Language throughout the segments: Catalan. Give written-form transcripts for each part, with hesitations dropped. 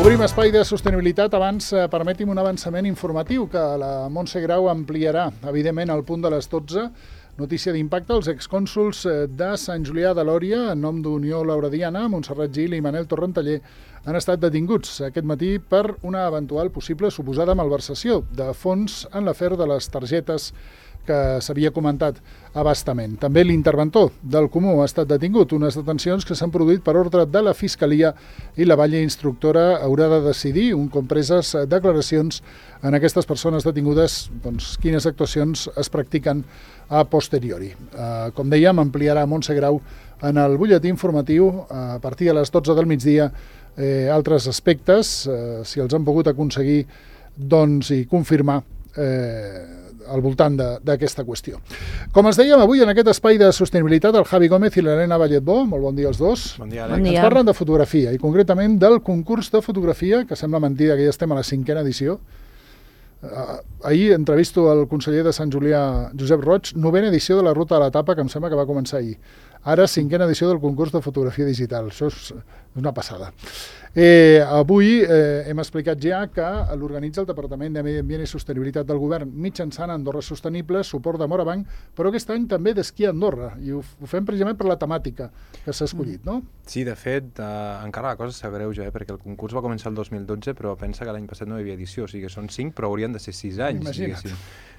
Obrim espai de sostenibilitat. Abans, permeti'm un avançament informatiu que la Montse Grau ampliarà, evidentment, al punt de les 12. Notícia d'impacte: els excònsols de Sant Julià de Lòria, en nom d'Unió Laurediana, Montserrat Gil i Manel Torrentaller, han estat detinguts aquest matí per una eventual possible suposada malversació de fons en l'afer de les targetes que s'havia comentat a bastament. També l'interventor del Comú ha estat detingut, unes detencions que s'han produït per ordre de la Fiscalia i la Valle Instructora haurà de decidir, un cop preses declaracions en aquestes persones detingudes, doncs, quines actuacions es practiquen a posteriori. Com dèiem, ampliarà Montse Grau en el butlletí informatiu a partir de les 12 del migdia altres aspectes, si els han pogut aconseguir doncs, i confirmar al voltant d'aquesta qüestió. Com es dèiem avui en aquest espai de sostenibilitat, el Javi Gómez i l'Helena Valletbó, molt bon dia als dos. Bon dia, Bon dia. Ens parlen de fotografia i concretament del concurs de fotografia, que sembla mentida que ja estem a la 5a edició. Ahir entrevisto el conseller de Sant Julià, Josep Roig, 9a edició de la Ruta de la Tapa, que em sembla que va començar ahir. Ara 5a edició del concurs de fotografia digital. Això és una passada. Avui hem explicat ja que l'organitza el Departament de Medi Ambient i Sostenibilitat del Govern mitjançant Andorra Sostenible, suport de Morabanc, però aquest any també d'Esquí a Andorra. I ho fem precisament per la temàtica que s'ha escollit, no? Sí, de fet, encara la cosa s'agreuja, perquè el concurs va començar el 2012, però pensa que l'any passat no hi havia edició, o sigui, són 5, però haurien de ser 6 anys. Imagina't.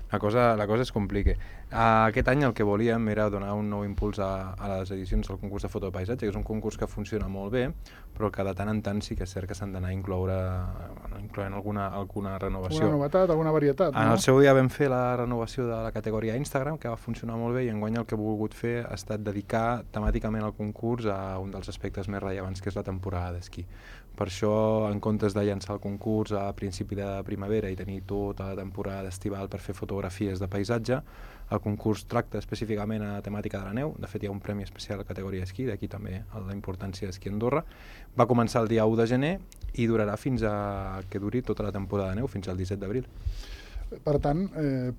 La cosa es complica. Aquest any el que volíem era donar un nou impuls a les edicions del concurs de foto de paisatge, que és un concurs que funciona molt bé, però que de tant en tant sí que és cert que s'han d'anar incloent alguna renovació. Alguna novetat, alguna varietat, no? En el seu dia vam fer la renovació de la categoria Instagram, que va funcionar molt bé, i enguany el que he volgut fer ha estat dedicar temàticament el concurs a un dels aspectes més rellevants, que és la temporada d'esquí. Per això, en comptes de llançar el concurs a principi de primavera i tenir tota la temporada estival per fer fotografies de paisatge, el concurs tracta específicament a temàtica de la neu. De fet, hi ha un premi especial a la categoria esquí, d'aquí també la importància d'Esquí a Andorra. Va començar el dia 1 de gener i durarà fins a que duri tota la temporada de neu, fins al 17 d'abril. Per tant,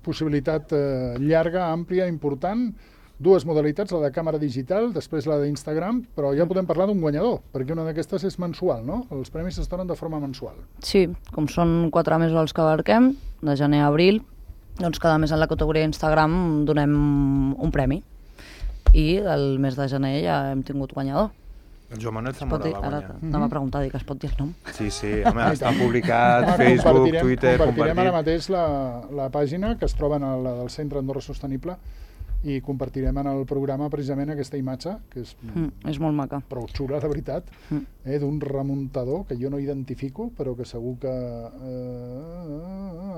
possibilitat llarga, àmplia, important. Dues modalitats, la de càmera digital, després la d'Instagram, però ja podem parlar d'un guanyador, perquè una d'aquestes és mensual, no? Els premis es donen de forma mensual. Sí, com són 4 mesos els que abarquem, de gener a abril, doncs cada mes en la categoria Instagram donem un premi. I el mes de gener ja hem tingut guanyador. El Joan Manuel Zamora va guanyar. Ara anava a preguntar, que es pot dir el nom. Sí, home, està publicat, Facebook, Twitter, compartirem ara mateix la pàgina que es troba en la del Centre Andorra Sostenible i compartirem en el programa precisament aquesta imatge, que és molt maca. Prou xula, de veritat, d'un remuntador que jo no identifico, però que segur que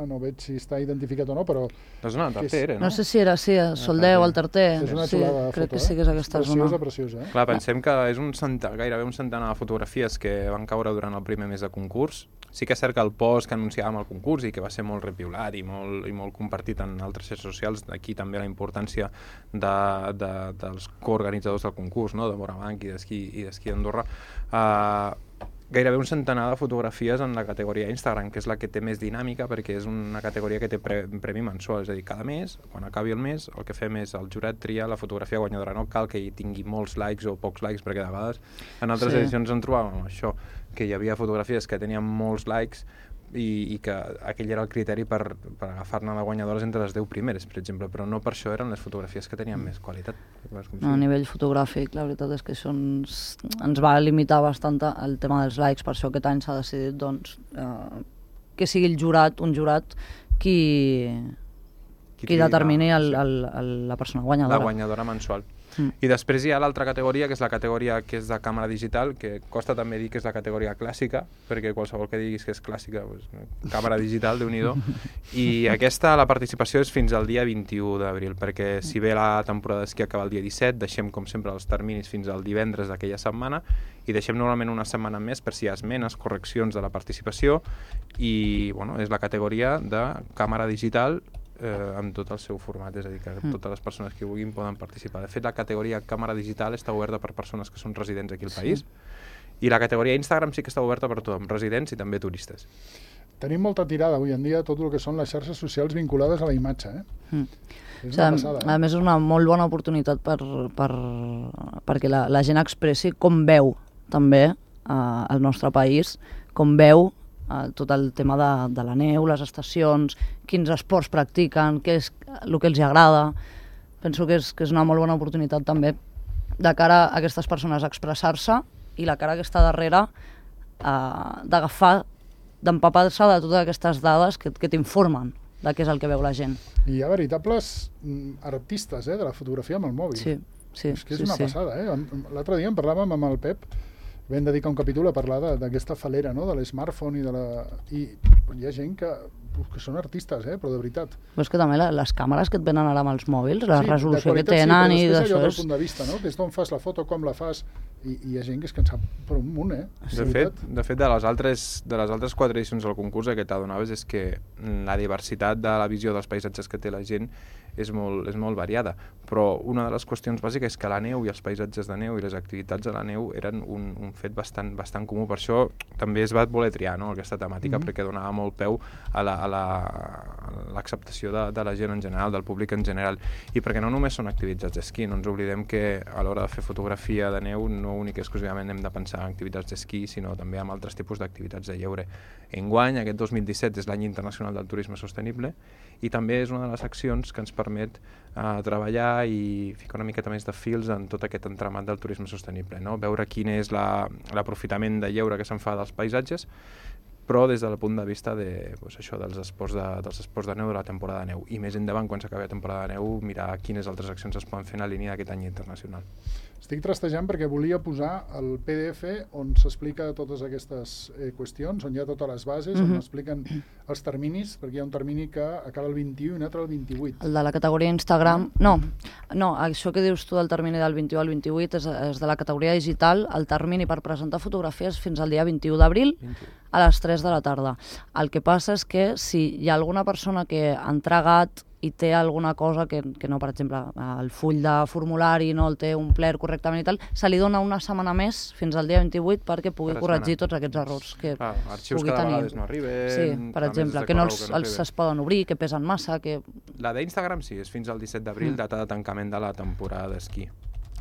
no veig si està identificat o no, però... És una tartera, no? No sé si era Soldeu, el Tarter. És una xulada de foto, crec que sí que és aquesta zona. Preciosa. Clar, pensem que és gairebé un centenar de fotografies que van caure durant el primer mes de concurs. Sí que és cert que el post que anunciàvem al concurs i que va ser molt repiulat i molt compartit en altres xarxes socials, d'aquí també la importància dels coorganitzadors del concurs, no? De Morabanc i d'Esquí Andorra, gairebé un centenar de fotografies en la categoria Instagram, que és la que té més dinàmica, perquè és una categoria que té premi mensual, és a dir, cada mes, quan acabi el mes, el que fem és el jurat triar la fotografia guanyadora. No cal que hi tingui molts likes o pocs likes, perquè de vegades en altres edicions en trobàvem això, que hi havia fotografies que tenien molts likes i que aquell era el criteri per agafar-ne de guanyadores entre les 10 primeres, per exemple, però no per això eren les fotografies que tenien més qualitat. A nivell fotogràfic, la veritat és que això ens va limitar bastant el tema dels likes, per això aquest any s'ha decidit doncs, que sigui un jurat qui determini la persona guanyadora. La guanyadora mensual. I després hi ha l'altra categoria, que és la categoria que és de càmera digital, que costa també dir que és la categoria clàssica, perquè qualsevol que diguis que és clàssica, doncs, càmera digital, Déu-n'hi-do. I aquesta, la participació és fins al dia 21 d'abril, perquè si bé la temporada d'esquí acaba el dia 17, deixem com sempre els terminis fins al divendres d'aquella setmana i deixem normalment una setmana més per si hi ha esmenes, correccions de la participació i és la categoria de càmera digital amb tot el seu format, és a dir, que totes les persones que vulguin poden participar. De fet, la categoria càmera digital està oberta per persones que són residents aquí al país i la categoria Instagram sí que està oberta per tothom, residents i també turistes. Tenim molta tirada avui en dia tot el que són les xarxes socials vinculades a la imatge. És una passada. A més, és una molt bona oportunitat perquè la gent expressi com veu també el nostre país, com veu tot el tema de la neu, les estacions, quins esports practiquen, què és el que els agrada. Penso que és una molt bona oportunitat també de cara a aquestes persones a expressar-se i la cara que està darrere d'agafar, d'empapar-se de totes aquestes dades que t'informen de què és el que veu la gent. I hi ha veritables artistes de la fotografia amb el mòbil. Sí. És que és una passada. L'altre dia en parlàvem amb el Pep, vam dedicar un capítol a parlar d'aquesta falera, no? De l'smartphone i hi ha gent que són artistes, però de veritat. Però és que també les càmeres que et venen ara amb els mòbils, la resolució que tenen i d'això és... punt de vista, no? Que és d'on fas la foto, com la fas, i hi ha gent que és que en sap per un munt, De fet, de les altres 4 edicions del concurs, el que t'adonaves és que la diversitat de la visió dels paisatges que té la gent és molt variada, però una de les qüestions bàsiques és que la neu i els paisatges de neu i les activitats a la neu eren un fet bastant comú. Per això també es va voler triar, no?, aquesta temàtica, perquè donava molt peu a l'acceptació de la gent en general, del públic en general, i perquè no només són activitats d'esquí, no ens oblidem que a l'hora de fer fotografia de neu no únic i exclusivament hem de pensar en activitats d'esquí, sinó també en altres tipus d'activitats de lleure. Enguany, aquest 2017 és l'any internacional del turisme sostenible i també és una de les accions que ens permet treballar i ficar una miqueta més de fils en tot aquest entramat del turisme sostenible, no? Veure quin és l'aprofitament de lleure que se'n fa dels paisatges, però des del punt de vista dels esports de neu de la temporada de neu. I més endavant, quan s'acabi la temporada de neu, mirar quines altres accions es poden fer en la línia d'aquest any internacional. Estic trastejant perquè volia posar el PDF on s'explica totes aquestes qüestions, on hi ha totes les bases, on expliquen els terminis, perquè hi ha un termini que acaba el 21 i un altre el 28. El de la categoria Instagram... No, això que dius tu del termini del 21 al 28 és de la categoria digital. El termini per presentar fotografies fins al dia 21 d'abril a les 3 de la tarda. El que passa és que si hi ha alguna persona que ha entregat i té alguna cosa que no, per exemple, el full de formulari no el té omplert correctament i tal, se li dona una setmana més, fins al dia 28, perquè pugui corregir tots aquests errors que arxius que a vegades no arriben... Sí, per exemple, que no es poden obrir, que pesen massa... La d'Instagram sí, és fins al 17 d'abril, data de tancament de la temporada d'esquí.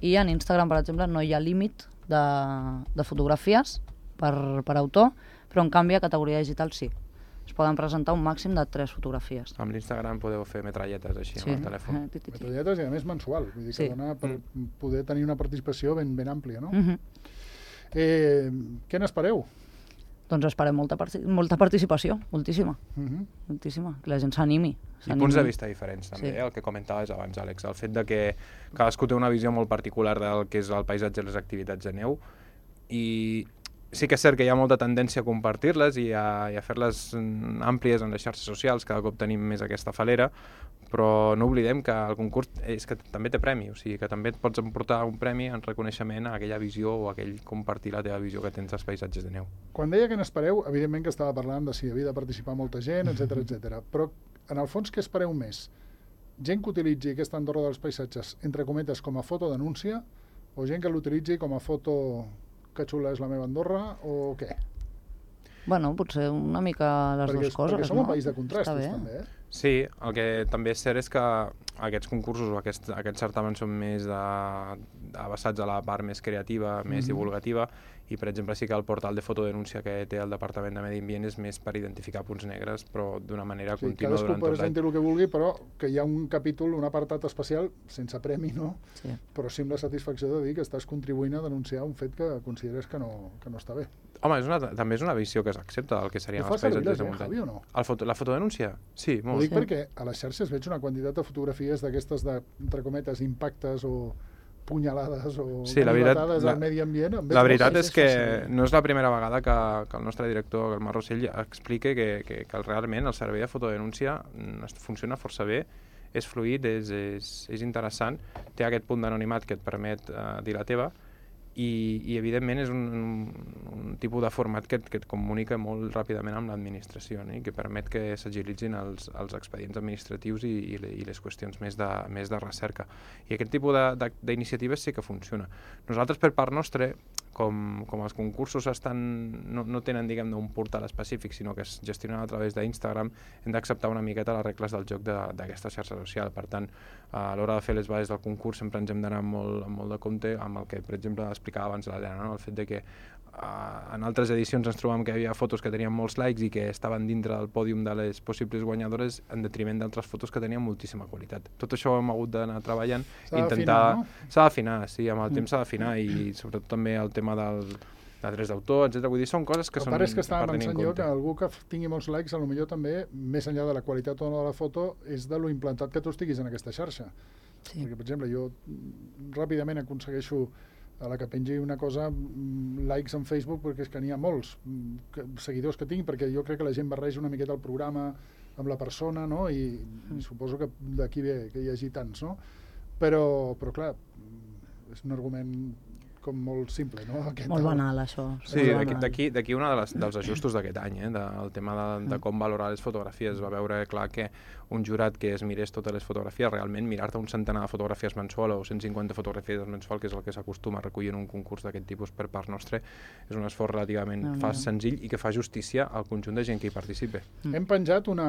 I en Instagram, per exemple, no hi ha límit de fotografies per autor, però en canvi a categoria digital sí. Es poden presentar un màxim de 3 fotografies. Amb l'Instagram podeu fer metralletes així amb el telèfon. Metralletes i a més mensual, vull dir que dona per poder tenir una participació ben àmplia, no? Què n'espereu? Doncs esperem molta participació, moltíssima. Moltíssima, que la gent s'animi. I punts de vista diferents també, el que comentaves abans, Àlex, el fet de que cadascú té una visió molt particular del que és el paisatge i les activitats de neu, i sí que és cert que hi ha molta tendència a compartir-les i a fer-les àmplies en les xarxes socials, cada cop tenim més aquesta falera, però no oblidem que el concurs és que també té premi, o sigui que també et pots emportar un premi en reconeixement a aquella visió o a aquell compartir la teva visió que tens dels paisatges de neu. Quan deia que n'espereu, evidentment que estava parlant de si havia de participar molta gent, etc. Però en el fons què espereu més? Gent que utilitzi aquesta Andorra dels paisatges, entre cometes, com a fotodenúncia, o gent que l'utilitzi com a foto... que xula és la meva Andorra, o què? Bueno, potser una mica les dues coses. Perquè som un país de contrastos, també, Sí, el que també és cert és que aquests concursos o aquests certàmens són més abassats a la part més creativa, més divulgativa, i per exemple sí que el portal de fotodenúncia que té el Departament de Medi Ambient és més per identificar punts negres, però d'una manera contínua durant tot l'any. Cadascú pot sentir el que vulgui, però que hi ha un capítol, un apartat especial, sense premi, no? Sí. Però sí amb la satisfacció de dir que estàs contribuint a denunciar un fet que consideres que no està bé. Home, també és una visió que s'accepta del que serien els paisatges de muntanya. Javi, o no? La fotodenúncia? Sí, molt. Ho dic perquè a les xarxes veig una quantitat de fotografies d'aquestes entre cometes, impactes o punyalades o bufetades al medi ambient. La veritat és que no és la primera vegada que el nostre director, el Marc Rossell, explica que realment el servei de fotodenúncia funciona força bé, és fluid, és interessant, té aquest punt d'anonimat que et permet dir la teva, i evidentment és un tipus de format que et comunica molt ràpidament amb l'administració, i que permet que s'agilitzin els expedients administratius i les qüestions més de recerca. I aquest tipus d'iniciatives sí que funciona. Nosaltres, per part nostra, com els concursos no tenen, diguem-ne, un portal específic, sinó que es gestionen a través d'Instagram, hem d'acceptar una miqueta les regles del joc d'aquesta xarxa social. Per tant, a l'hora de fer les bases del concurs sempre ens hem d'anar molt de compte amb el que, per exemple, explicava abans l'Helena, no? El fet de que en altres edicions ens trobàvem que hi havia fotos que tenien molts likes i que estaven dintre del pòdium de les possibles guanyadores en detriment d'altres fotos que tenien moltíssima qualitat. Tot això ho hem hagut d'anar treballant. S'ha d'afinar, sí, amb el temps s'ha d'afinar, i sobretot també el tema de drets d'autor, etc. Vull dir, són coses que són per tenir en compte. El que estava pensant jo que algú que tingui molts likes, potser també, més enllà de la qualitat o no de la foto, és de lo implantat que tu estiguis en aquesta xarxa. Sí. Perquè, per exemple, jo ràpidament aconsegueixo a la que pengi una cosa, likes en Facebook, perquè és que n'hi ha molts seguidors que tinc, perquè jo crec que la gent barreja una miqueta el programa amb la persona, no? I suposo que d'aquí ve que hi hagi tants, no? Però clar, és un argument com molt simple, no? Molt banal, això. Sí, d'aquí un dels ajustos d'aquest any, del tema de com valorar les fotografies. Va veure clar que un jurat que es mirés totes les fotografies, realment mirar-te un centenar de fotografies mensual o 150 fotografies mensual, que és el que s'acostuma a recollir en un concurs d'aquest tipus per part nostre, és un esforç relativament senzill i que fa justícia al conjunt de gent que hi participa. Hem penjat un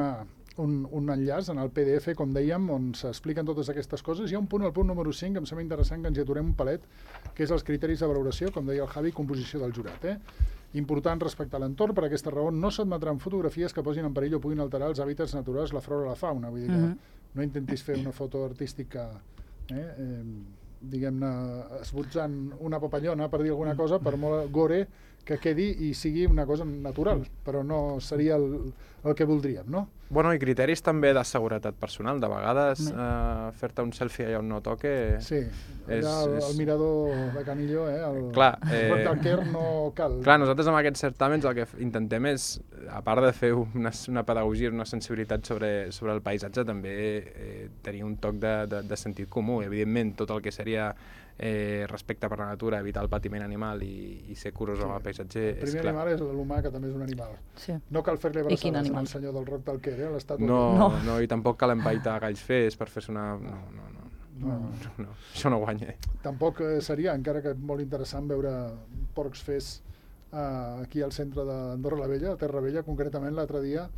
enllaç en el PDF, com dèiem, on s'expliquen totes aquestes coses. Hi ha un punt, el punt número 5, em sembla interessant que ens hi aturem un palet, que és els criteris de valoració, com deia el Javi, composició del jurat. Important respectar l'entorn, per aquesta raó no s'admetran fotografies que posin en perill o puguin alterar els hàbitats naturals, la flora o la fauna. Vull dir que no intentis fer una foto artística diguem-ne, esbotzant una papallona, per dir alguna cosa, per molt gore que quedi i sigui una cosa natural, però no seria el que voldríem, no? Bueno, i criteris també de seguretat personal. De vegades fer-te un selfie allà on no toque... Sí, allà el mirador de Canillo, el Quer no cal. Clar, nosaltres amb aquests certàmens el que intentem és, a part de fer una pedagogia, una sensibilitat sobre el paisatge, també tenir un toc de sentit comú. Evidentment, tot el que seria respecte per la natura, evitar el patiment animal i ser curós amb el paisatge. El primer animal és l'humà, que també és un animal. Sí. No cal fer-li abraçades al senyor del Roc del Quer, l'estàtua. No, i tampoc cal empaitar galls fes per fer-se una... No, això no guanya. Tampoc seria, encara que molt interessant, veure porcs fes aquí al centre d'Andorra la Vella, a Terra Vella, concretament l'altre dia.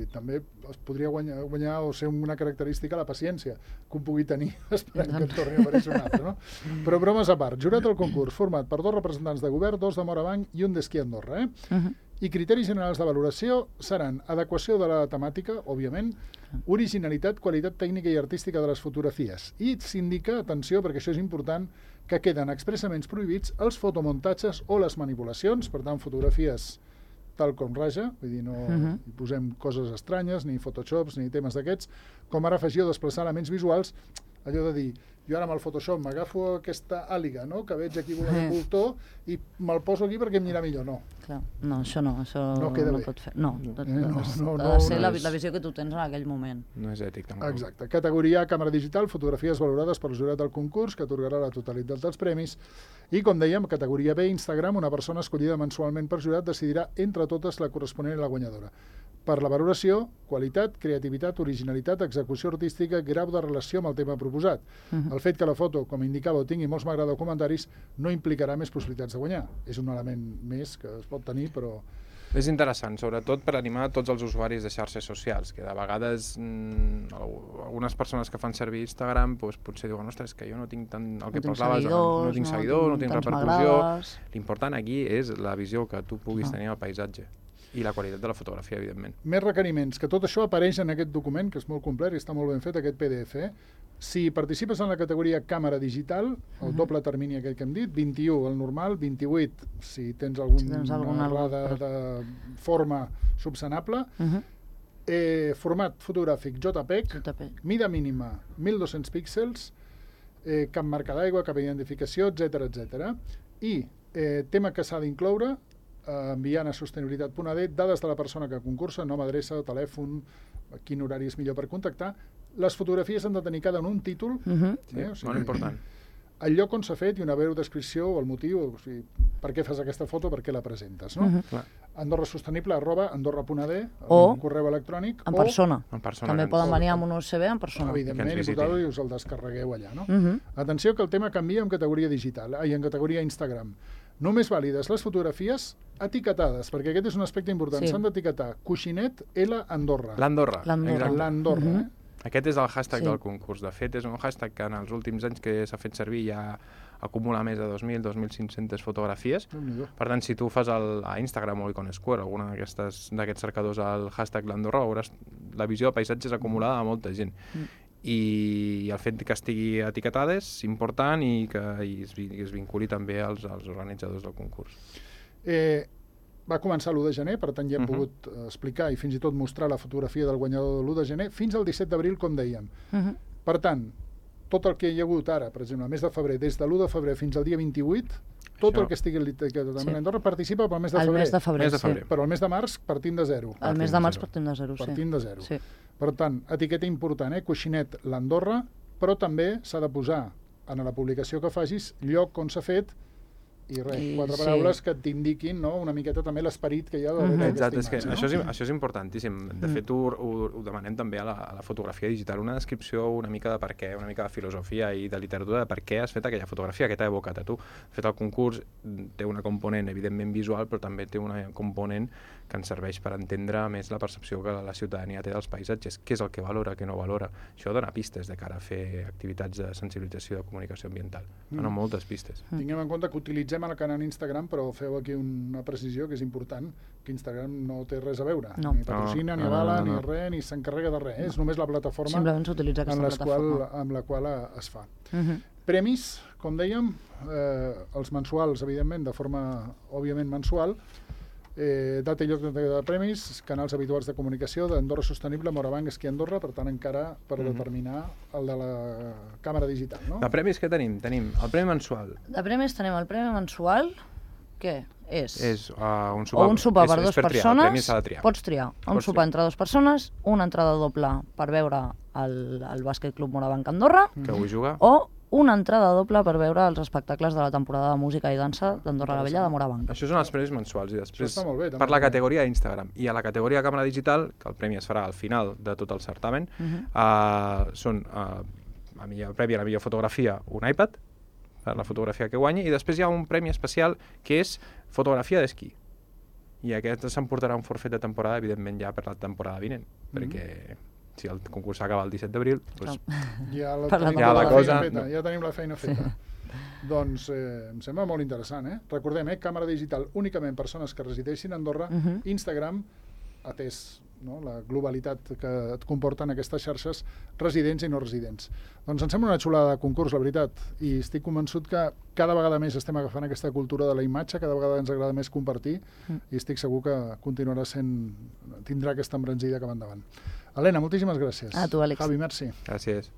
També es podria guanyar o ser una característica la paciència que un pugui tenir esperant que et torni a aparèixer un altre, no? Però bromes a part, jurat del concurs format per 2 representants de govern, 2 de Morabanc i un d'Esquí Andorra, I criteris generals de valoració seran adequació de la temàtica, òbviament, originalitat, qualitat tècnica i artística de les fotografies. I s'indica, atenció, perquè això és important, que queden expressament prohibits els fotomuntatges o les manipulacions, per tant, fotografies tal com raja, vull dir, no hi posem coses estranyes, ni photoshops, ni temes d'aquests, com ara afegir o desplaçar elements visuals, allò de dir, jo ara amb el Photoshop m'agafo aquesta àliga, no?, que veig aquí volant un voltor i me'l poso aquí perquè em anirà millor, no. Clar. No, això no pot fer. No, ha de ser la visió que tu tens en aquell moment. No és ètic, tampoc. Exacte. Categoria càmera digital, fotografies valorades pel jurat del concurs, que atorgarà la totalitat dels premis. I, com dèiem, categoria B, Instagram, una persona escollida mensualment per jurat decidirà entre totes la corresponent i la guanyadora. Per la valoració, qualitat, creativitat, originalitat, execució artística, grau de relació amb el tema proposat. El fet que la foto, com indicava, tingui molts m'agrada o comentaris, no implicarà més possibilitats de guanyar. És un element més que es pot tenir, però... És interessant, sobretot per animar tots els usuaris de xarxes socials, que de vegades algunes persones que fan servir Instagram potser diuen, ostres, que jo no tinc tant el que parlaves, no tinc seguidors, no tinc repercussió. L'important aquí és la visió que tu puguis tenir al paisatge. I la qualitat de la fotografia, evidentment. Més requeriments, que tot això apareix en aquest document, que és molt complet i està molt ben fet, aquest PDF. Si participes en la categoria càmera digital, el doble termini aquell que hem dit, 21 el normal, 28 si tens alguna errada de forma subsanable, format fotogràfic JPEG, mida mínima 1.200 píxels, cap marca d'aigua, cap identificació, etc. I tema que s'ha d'incloure, enviant a sostenibilitat.ad dades de la persona que concursa, nom, adreça, telèfon, quin horari és millor per contactar. Les fotografies han de tenir cada un títol, molt important. El lloc on s'ha fet i una breu descripció o el motiu, o sigui, per què fas aquesta foto, per què la presentes, no? andorrasostenible@andorra.ad, un correu electrònic, en persona. També poden venir amb un USB en persona. Evidentment, i us el descarregueu allà, no? Atenció que el tema canvia en categoria digital, en categoria Instagram. Només vàlides les fotografies etiquetades, perquè aquest és un aspecte important. Sí. S'han d'etiquetar Coixinet L Andorra. L'Andorra. L'Andorra. Exacte. L'Andorra, Aquest és el hashtag Sí. del concurs. De fet, és un hashtag que en els últims anys que s'ha fet servir ja acumula més de 2.000, 2.500 fotografies. Déu-n'hi-do. Per tant, si tu fas a Instagram o Icon Square, alguna d'aquests cercadors al hashtag l'Andorra, veuràs la visió de paisatges acumulada de molta gent. I el fet que estigui etiquetada és important i que es vinculi també als organitzadors del concurs. Va començar l'1 de gener, per tant ja hem pogut explicar i fins i tot mostrar la fotografia del guanyador de l'1 de gener fins al 17 d'abril, com dèiem. Per tant, tot el que hi ha hagut ara, per exemple, el mes de febrer, des de l'1 de febrer fins al dia 28, tot el que estigui etiquetat a Andorra participa pel mes de El febrer. mes de febrer, Mes de sí. febrer. Però el mes de març partim de zero. El mes de març partim de zero, sí. Partim de zero. Sí. Per tant, etiqueta important, Coixinet l'Andorra, però també s'ha de posar en la publicació que facis lloc on s'ha fet i res, I 4 sí. paraules que t'indiquin, no?, una miqueta també l'esperit que hi ha darrere Exacte, és d'aquesta que imatge, això és importantíssim. De fet, ho demanem també a la fotografia digital, una descripció una mica de per què, una mica de filosofia i de literatura de per què has fet aquella fotografia que t'ha evocat a tu. De fet, el concurs té una component evidentment visual, però també té una component que ens serveix per entendre més la percepció que la ciutadania té dels paisatges, què és el que valora, què no valora. Això dona pistes de cara a fer activitats de sensibilització de comunicació ambiental. Dona moltes pistes. Tinguem en compte que utilitzem el canal Instagram, però feu aquí una precisió que és important, que Instagram no té res a veure. No. Ni patrocina, ni avala, ni res, ni s'encarrega de res. És només la plataforma Simplement s'utilitza aquesta plataforma. amb la qual es fa. Premis, com dèiem, els mensuals, evidentment, de forma, òbviament, mensual, data i lloc de premis, canals habituals de comunicació d'Andorra Sostenible, Morabanc, Esquí Andorra, per tant encara per determinar el de la càmera digital, no? De premis què tenim? Tenim el premi mensual. De premis tenim el premi mensual, què és? És un O un sopar per dues per triar, el persones, premi s'ha de triar. pots triar un Pots sopar triar. entre dues persones, una entrada doble per veure el Bàsquet Club Morabanc Andorra, Que avui juga. o una entrada doble per veure els espectacles de la temporada de música i dansa d'Andorra la Vella de Morabanc. Això són els premis mensuals i després Això està molt bé, també. per la categoria d'Instagram i a la categoria de càmera digital, que el premi es farà al final de tot el certamen, són a millor premi a la millor fotografia un iPad per la fotografia que guanyi i després hi ha un premi especial que és fotografia d'esquí i aquest s'emportarà un forfet de temporada evidentment ja per la temporada vinent perquè si el concurs s'acaba el 17 d'abril doncs Ja Per la tenim Ja la la cosa- feina feta, ja tenim la feina feta. Doncs em sembla molt interessant, Recordem, càmera digital únicament persones que resideixin a Andorra, Instagram, atès la globalitat que et comporten aquestes xarxes residents i no residents. Doncs em sembla una xulada de concurs, la veritat, i estic convençut que cada vegada més estem agafant aquesta cultura de la imatge, cada vegada ens agrada més compartir i estic segur que continuarà tindrà aquesta embranzida cap endavant. Helena, moltíssimes gràcies. A tu, Àlex. Javi, merci. gràcies.